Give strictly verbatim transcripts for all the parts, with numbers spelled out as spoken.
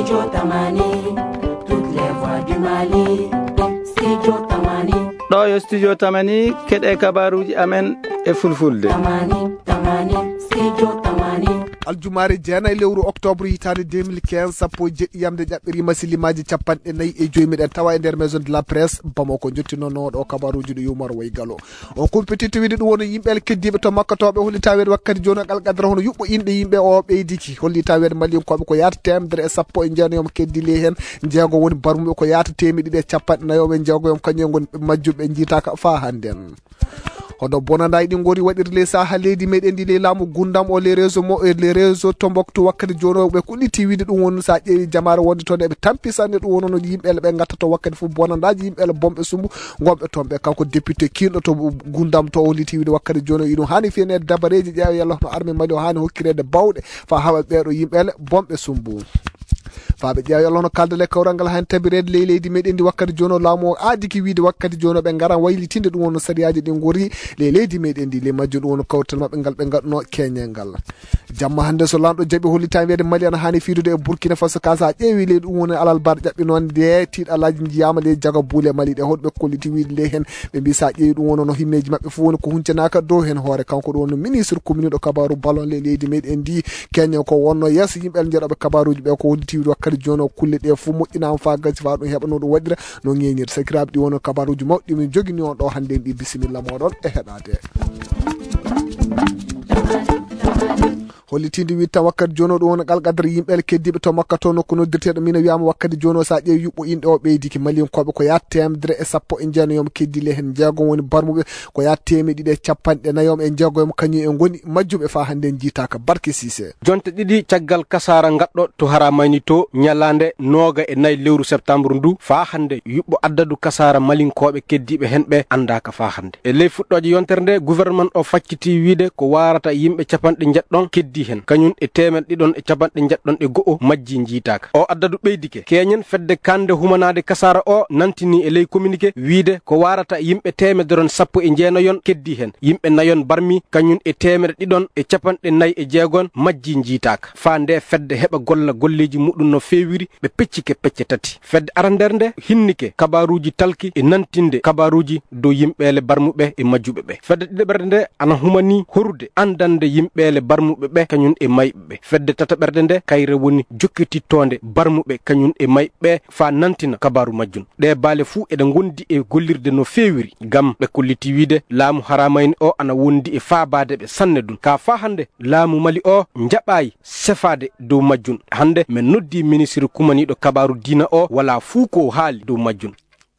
Studio Tamani, toutes les voix du Mali. Studio Tamani. Ɗo yo Studio Tamani, keɗe kabaruji amen e fulfulde. Tamani, Tamani, Studio Tamani. Aljumaare jeenayi lewru octobre hitaande deux mille quinze, sappo e jeɗɗi yamde ƴaɓɓirima silimaji capanɗe nayi e joyi. Miɗen tawa e nder Maison de la Presse Bamako. Jottinoono ɗo kabaruji ɗo yumar way galo. On compétitivité ɗum woni yimɓe keddiiɓe to Makka to ɓe holli taweede wakkati jooni o Alqadra hono yuɓɓo inɗe yimɓe o ɓeydiki. Holli taweede Maliyankooɓe ko yaata teemedere e sappo e jeenayi keddii ley heen. Jeego woni barmuɓe ko yaata teemedde ɗiɗi e capanɗe nayi e jeego, kañum en ngoni majjuɓe njiitaaka faa hannden. Hono bonandaay ɗi ngori waɗirde ley saha leydi meɗen ndi ley laamu gundam o, les réseaux mo, les réseaux Tombouctou wakkati jooni o ɓe kulliti wiide ɗum woni sa ƴeewi jamaare wonde toon eɓe tampi sanne ɗum woni no yimɓe ɓe ngatta to wakkati fof bonandaaji yimɓe bonɓe sumbu gonɓe toon ɓe. Kanko député kiinɗo to gundam to o liti wiide wakkati jooni o iɗum haani fiyaneede dabareeji ƴeewa yalla hono armée Mali o haani hokkireede bawɗe fa haɓa ɓeeɗo yimɓe bonɓe sumbu. Faaɓe ƴeewa yalla hono kaldale kawral ngal haani tabireede ley leydi meɗen ndi wakkati jooni o laamu o aadiki wiide wakkati jooni o ɓe ngaran waylitinde ɗum woni no sariyaaji ɗi ngori ley leydi meɗen ndi. Ley majjum ɗum woni kawtal maɓɓe ngal ɓe ngaɗno keñe ngal. Jamma hannde so lanɗo jaɓi hollitaa wiyeede Mali ana haani fiidude e Burkina Faso ka sa ƴeewi ley ɗum woni alal bar ƴaɓɓinoonde tiiɗalaaji njiyaama ley jaga buule Mali ɗe hoɗɓe kolliti wiide ley heen. Ɓe mbi sa ƴeewi ɗum woni no himmeeji maɓɓe fof woni ko huncanaaka dow heen hoore. Kanko ɗum woni ministre communiɗo kabaaru ballon ley leydi meɗen ndi. Keño ko wonno yeeso yimɓe njeɗoɓe kabaruji ɓe ko hollitii wakkati jooni o kulle ɗe fof moƴƴinaama faa gasi faa ɗum heɓa no ɗum waɗira no ŋeñir. Sakiraaɓe ɗi wonno kabaruji mawɗi min jogini on ɗo hannde en ɗi bisimilla moɗon e heɗade. Hollitinde wiide tan wakkati jooni o ɗum woni Alqadra yimɓe keddiiɓe to Makka to nokku noddirteeɗo mina wiyama wakkati jooni o sa ƴeewi yuɓɓo inɗe o ɓeydiki Maliyankooɓe ko yaata teemedere e sappo e jeenayi keddii ley heen jeego woni barmuɓe ko yaata teemedde ɗiɗi e capanɗe nayi e jeego kañum en ngoni majjuɓe faa hannde en jiitaaka. Barke Siise. Jonte ɗiɗi caggal kasaara ngaɗɗo to Haramayni to ñalaande nooga e nayi lewru septembre ndu faa hannde yuɓɓo addadu kasaara Maliyankooɓe keddiiɓe heen ɓe anndaaka faa hannde. E ley fuɗɗooje yontere nde gouvernement o facciti wiide ko waarata yimɓe capanɗe njeɗɗon keddii heen kañum e teemeɗɗe ɗiɗon e capanɗe njeɗɗon e go'o majji njiitaaka. O addadu ɓeydike keñen fedde kande humanaade kasaara o nantini e ley communiqué wiide ko waarata yimɓe teemedere sappo e jeenayon keddii heen yimɓe nayon barmi kañum e teemeɗɗe ɗiɗon e capanɗe nayi e jeegon majji njiitaaka. Faa nde fedde heɓa golla golleeji muɗum no feewiri ɓe peccike pecce tati. Fedde arandere nde hinnike kabaruuji talki e nantinde kabaruuji dow yimɓeele barmuɓe e majjuɓe ɓe. Fedde ɗiɗaɓerde nde ana humani horude andande yimɓeele barmuɓe ɓe kañum e mayɓe ɓe. Fedde tataɓerde nde kayre woni jokkitittoonde barmuɓe kañum e mayɓe ɓe faa nantina kabaaru majjum. Ɗe baale fuu eɗe ngondi e gollirde no feewiri ngam ɓe kolliti wiide laamu Haramayni o ana wondi e faabaade ɓe sanne ɗum. Ka faa hannde laamu Mali o njaɓaayi sefaade dow majjum. Hannde men noddi ministre kumaniiɗo kabaaru diina o, walaa fuu ko haali dow majjum.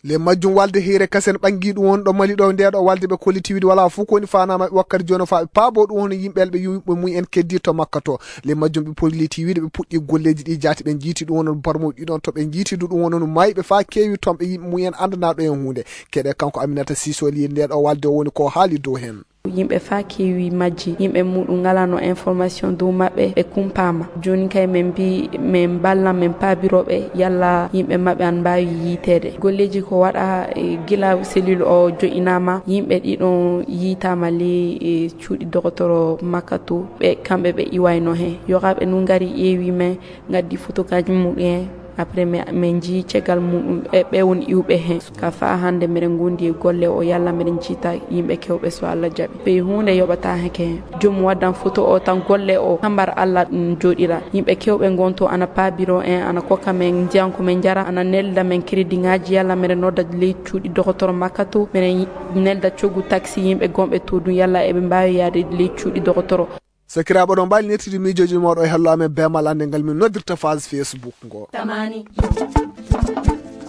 Le majjum walde heyre kasen ɓangi ɗum woni ɗo Mali ɗo nde ɗo walde ɓe kolliti wiide walaa fuu ko woni faanaa maɓɓe wakkati jooni faa ɓe paabo ɗum woni yimɓe ɓe yimɓe mum en keddi to Makka to. Le majjum ɓe kolliti wiide ɓe puɗɗi golleeji ɗi jaati ɓe njiiti ɗum woni barmuɓe ɗiɗon to ɓe njiiti du ɗum woni mayɓe faa keewi toon ɓe yimɓe mum en anndanaa ɗo en huunde. Keɗe kanko Aminata Sisoli nde ɗo walde o woni ko haali dow heen. Yimɓe faa keewi majji, yimɓe muɗum ngalano information dow maɓɓe ɓe kumpaama. Jooni kay men mbi men mballan men paabiroɓe yalla yimɓe maɓɓe an mbaawi yiiteede. Golleeji ko waɗa e gila cellule o jo'inaama, yimɓe ɗiɗon yiitaama ley e cuuɗi dogotoro Makka to, ɓe kamɓe ɓe iwayno heen. Yohaaɓe nun ngari ƴeewi men, ngaddi fotokaaji muɗum en. Après, mi, min njii caggal muɗum, ɓe, ɓe woni iwɓe heen. Ka faa hannde, miɗen ngondi e golle o, yalla miɗen jiita yimɓe kewɓe, so Allah jaɓi. Ɓe huunde yoɓata heke heen. Joom waddan foto o tan golle o, hambar Allah ɗum jooɗira. Yimɓe kewɓe ngonto ana paabiro en, ana kokka men ndiyan ko min njara, ana nelda men crédit ŋaaji, yalla miɗen nodda ley cuuɗi dogotoro Makka to, miɗen nelda coggu taxi yimɓe gonɓe to ɗum, yalla eɓe mbaawi yaade ley cuuɗi dogotoro. Sakiraaɓe, oɗon mbaawi nettude miijooji mooɗon e hello amen beemal annde ngal min noddirta page Facebook ngo. Tamani.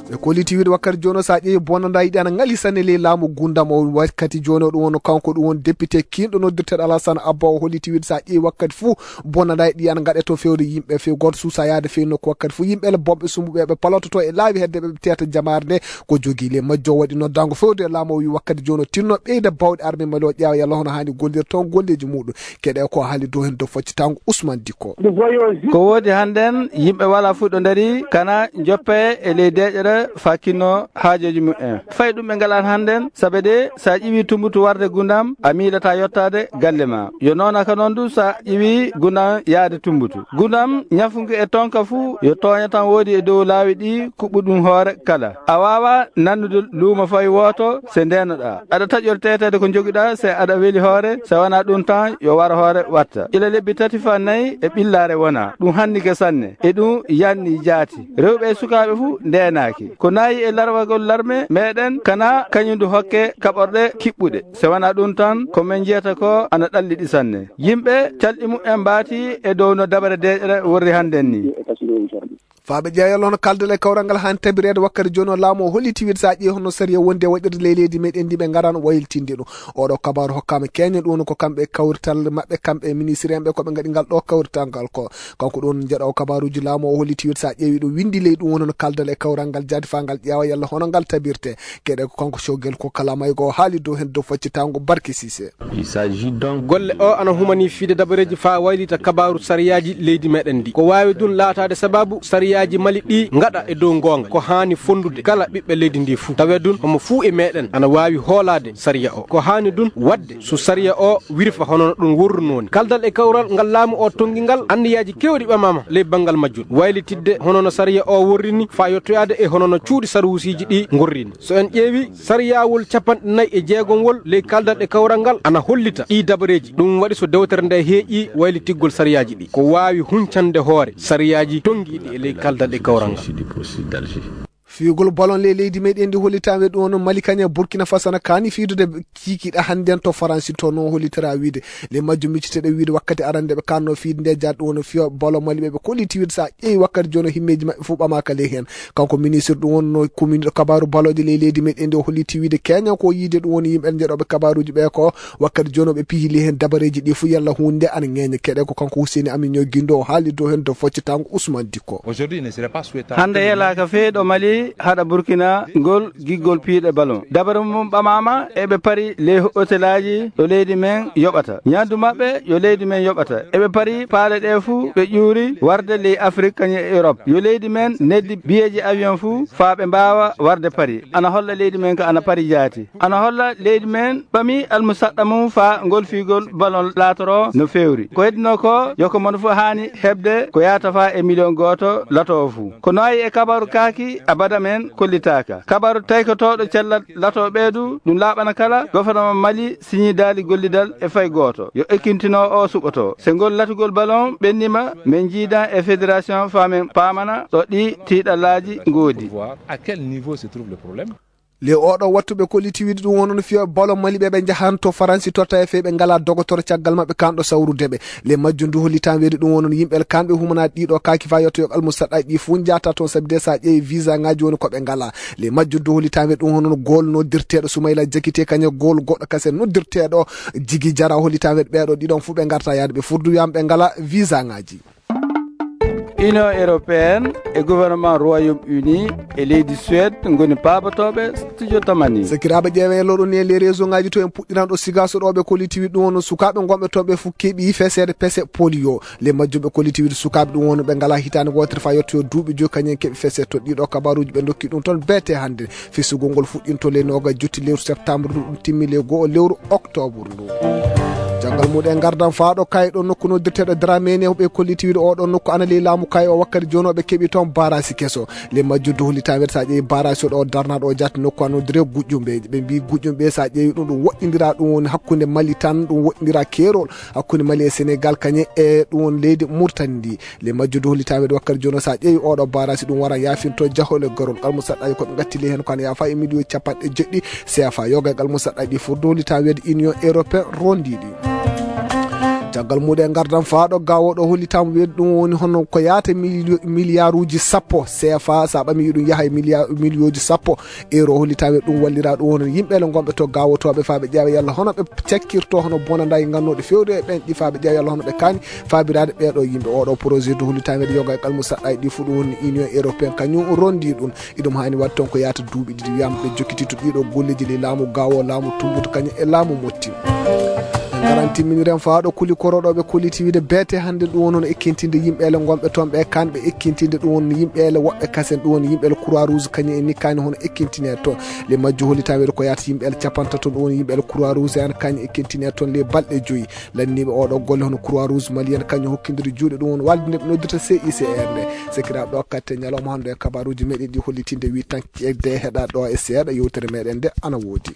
Ɓe kolliti wiide wakkati jooni o, so a ƴeewi bonandaa yiɗi ana ngali sanne ley laamu gundam o. Wakkati jooni o, ɗum woni kanko, ɗum woni député kiinɗo noddirteeɗo Alassane Abba, o holliti wiide so a ƴeewi wakkati fuu bonandaa yiɗi ana ngaɗe to fewde yimɓe few gooto suusa yaade few nokku. Wakkati fuu yimɓe ele bonɓe sumbuɓe ɓe palototo e laawi hedde ɓe tewta jamaare nde ko jogii. Le majjo waɗi noddaango fewde e laamu o, wi wakkati jooni o tinno ɓeyda bawɗe armée Mali o, ƴeewa yalla hono haani gollirde toon golleeji muɗum. Keɗe ko haali dow heen dow foccitango Ousmane Dicko. Ko woodi hannden, yimɓe wala fuɗɗo ndari, kana joppe e ley deeƴere. fakinno haajoji mumen. Fay ɗum ɓe ngalan hannden, sabe de sa ƴiwi tumbutu warde gundam, a miilataa yottaade galle ma. Yo noona ka noon du sa ƴiwi gundam yaade tumbutu. Gundam ñafunki e tonka fuu, yo tooña tan woodi e dow laawi ɗi kuɓɓu ɗum hoore kala. A waawa nannude luumo fay wooto se ndeenoɗaa. Aɗa taƴori teteede ko njogiɗaa se aɗa weli hoore, se wanaa ɗum tan yo wara hoore watta. Ila lebbi tati faa nayi e ɓillaare wona. Ɗum hannike sanne. E ɗum yanni jaati. Rewɓe e sukaaɓe fuu ndeenaaki. Ko nayi e larwagol larme meɗen kana kañum du hokke kaɓorɗe kiɓɓuɗe. Se wanaa ɗum tan, ko men jiyata ko ana ɗalliɗi sanne. Yimɓe calɗi mumen mbaati e dow no dabare deeƴre worri hannden ni. Faa ɓe ƴeewa yalla hono kaldal e kawral ngal haani tabireede wakkati jooni o laamu o holliti wiide so a ƴeewi hono sariya wondi e waɗirde ley leydi meɗen ndi ɓe ngaraano waylitinde ɗum. Oɗo kabaaru hokkaama keñe ɗum ko kamɓe kawrital maɓɓe kamɓe ministre en ɓe ko ɓe ngaɗi ngal ɗo kawrital ngal ko. Kanko ɗum jeɗo kabaruji laamu o holliti wiide so a ƴeewi ɗum windi ley ɗum woni no kaldal e kawral ngal jaati faa ngal ƴeewa yalla hono ngal tabirte. Keɗe ko kanko Shogel ko kala may go haali dow hen dow faccitango Barke Sise. Il s'agit donc golle o ana humani fiide dabareji faa waylita kabaru sariyaaji leydi meɗen ndi. Ko waawi ɗum laataade sababu sariyaaji Mali ɗi ngaɗa e dow goonga. Ko haani fondude kala ɓiɓɓe leydi ndi fuu. Tawe ɗum homo fuu e meɗen ana waawi hoolaade sariya o. Ko haani ɗum waɗde so sariya o wirfa hono no ɗum worruno ni. Kaldal e kawral ngal laamu o tonngi ngal anniyaaji keewɗi ɓamaama ley banngal majjum. Waylitidde hono no sariya o worri ni faa yottoyaade e hono no cuuɗi sarwusiiji ɗi ngorri ni. So en ƴeewi, sariyaawol capanɗe nayi e jeegomwol ley kaldal e kawral ngal ana hollita ɗii dabareeji. Ɗum waɗi so dewtere nde heeƴi waylitigol sariyaaji ɗi. Ko waawi huncande hoore sariyaaji tonngiiɗi e ley kaldal e kawral ngal. Fiyugol ballon ley leydi meɗen ndi hollitaama e ɗum woni Mali kañum e Burkina Faso na kaani fiidude kiikiiɗe hannden to Faransi to no hollitira wiide. Ley majjum micceteeɗo wiide wakkati arande ɓe kaanno fiide nde jaat ɗum woni fiyo ballon Mali ɓe ɓe kolliti wiide so a ƴeewi wakkati jooni o himmeeji maɓɓe fof ɓamaaka ley heen. Kanko ministre ɗum woni no kuminiɗo kabaaru ballonji ley leydi meɗen ndi o holliti wiide keñan ko yiide ɗum woni yimɓe jeɗoɓe kabaaruji ɓe ko wakkati jooni o ɓe pihi ley heen dabareeji ɗi fof yalla huunde ana ŋeeña keɗe ko kanko Husseini Amin Ñoo Gindo o haali dow heen dow foccitango Ousmane Dikko. Aujourd'hui, il ne serait pas souhaitable. Hannde yelaaka fee ɗo Mali haɗa Burkina ngol giggol piiɗe ballon. Dabare mum ɓamaama eɓe pari ley hotelaaji ɗo leydi men yoɓata. Ñaandu maɓɓe yo leydi men yoɓata. Eɓe pari paale ɗe fuu ɓe ƴuuri warde ley Afrik kañum e Europe. Yo leydi men neddi biyeeji avion fuu faa ɓe mbaawa warde pari. Ana holla leydi men ka ana pari jaati. Ana holla leydi men ɓami almusaɗɗa mum faa ngol fiigol ballon laatoro no feewri. Ko heddinoo ko yo ko mono fof haani heɓde ko yaata faa e miliyon gooto lato o fuu. Ko no wayi e kabaru kaaki abada men kollitaaka. Kabaru taykotooɗo cellal lato ɓeedu ɗum laaɓana kala gouvernement Mali siñi daali gollidal e fay gooto. Yo ekkintinoo o suɓoto. Se ngol latugol ballon ɓennima men jiidan e fédération faa men paamana ɗo ɗi tiiɗallaaji ngoodi. Voir à quel niveau se trouve le problème. Le oɗo wattu ɓe kolliti wiide ɗum wonon fiyo ballon Mali ɓe ɓe njahanto Faransi totta e fey ɓe ngala dogotoro caggal maɓɓe kanɗo sawrude ɓe. Le majjum du hollitan weedi ɗum wonon yimɓe kamɓe humana ɗiɗo kaaki fa yotto yo almusaɗɗa ɗi fuu njata toon sabi de sa ƴeewi visa ngaji woni ko ɓe ngala. Le majjum du hollitan weedi ɗum wonon gol noddirteɗo Sumayla Jakite kañe gol goɗɗo kase noddirteɗo Jigi Jara hollitan weedi ɓeɗo ɗiɗon fuu ɓe ngarta yaade ɓe furdu wiyam ɓe ngala visa ngaji. Union européenne e gouvernement Royaume-Uni e leydi Suède ngoni paabotooɓe studio Tamani. Sakiraaɓe ƴeewe e loɗo ni e les réseau ngaji to en puɗɗiran ɗo sigaso ɗo ɓe kolliti wi ɗum wono sukaaɓe gonɓe toon ɓe fof keeɓi feseede pese polio. Le majjum ɓe kolliti wi sukaaɓe ɗum wono ɓe ngala hitaande wootere fa yettoyo duuɓi joyi kañum en keeɓi feseede to ɗiɗo kabaruji ɓe dokki ɗum toon beete hannde. Fesugol ngol fuɗɗinto le noga jotti lewru septembre ɗum ɗum timmi le go'o lewru octobre ndu. Caggal muɗum en ngardan faa ɗo kay ɗo nokku noddirteɗo Dramé ne ɓe kolliti wiide oɗo nokku ana ley laamu kay o wakkati jooni o ɓe keɓi toon barasi keso. Le majjum du hollitan weede sa ƴeewi barasi o ɗo darnaɗo o jatti nokku ano dire guƴƴumɓe ɓe mbi guƴƴumɓe sa ƴeewi ɗum ɗum woɗɗindira ɗum woni hakkunde Mali tan ɗum woɗɗindira keerol hakkunde Mali e Sénégal kañe e ɗum woni leydi Mauritanie ndi. Le majjum du hollitan weede wakkati jooni o sa ƴeewi oɗo barasi ɗum wara yafinto jahol e gorol almusaɗɗaji koɓe gatti ley hen ko ana yafa e miliyon capanɗe jeɗɗi C F A yoga e almusaɗɗaji ɗi fof du hollitan weede Union européen rondiɗi. Caggal muɗum e ngardan faa ɗo gawo ɗo hollitama weede ɗum woni hono ko yaata milio- miliyaruji sappo C F A sa ɓami ɗum yaha e miliya- miliyoji sappo euro hollitama weede ɗum wallira ɗum woni yimɓe le gonɓe to gawotoɓe fa ɓe ƴeewa yalla hono ɓe cakkirto hono bonanda e gannoɗe fewde e ɓen ɗi fa ɓe ƴeewa yalla hono ɓe kaani fabirade ɓeɗo yimɓe oɗo projet du hollitan weede yoga e almusaɗɗaji ɗi fof ɗum woni Union européen kañum rondi ɗum. Iɗum haani waɗ toon ko yaata duuɓi ɗiɗi wiyama ɓe jokkititto ɗiɗo golleji ley laamu gawo laamu tumbutu kañum e laamu motti. Kalan timminiren faa ɗo kuli koroɗooɓe kuli tiwide beete hannde ɗum woni hono ekkintinde yimɓeele ngonɓe toon ɓe kanɓe ekkintinde ɗum woni yimɓeele woɓɓe kasen ɗum woni yimɓeele croix rouge kañum en ni kani hono ekkintine toon le majju holli tan wiyde ko yaata yimɓeele capantato ɗum woni yimɓeele croix rouge en kañum ekkintine toon le balɗe joyi lanniiɓe oɗo golle hono croix rouge malienne kañum hokkindiri juuɗe ɗum woni walde nde ɓe noddirta C I C R nde. Sekiraaɓe ɗo katte ñalawma hannde e kabaruuji meɗen ɗi hollitinde wi tan ƴeewde heɗa ɗo e seeɗa yewtere meɗen nde ana woodi.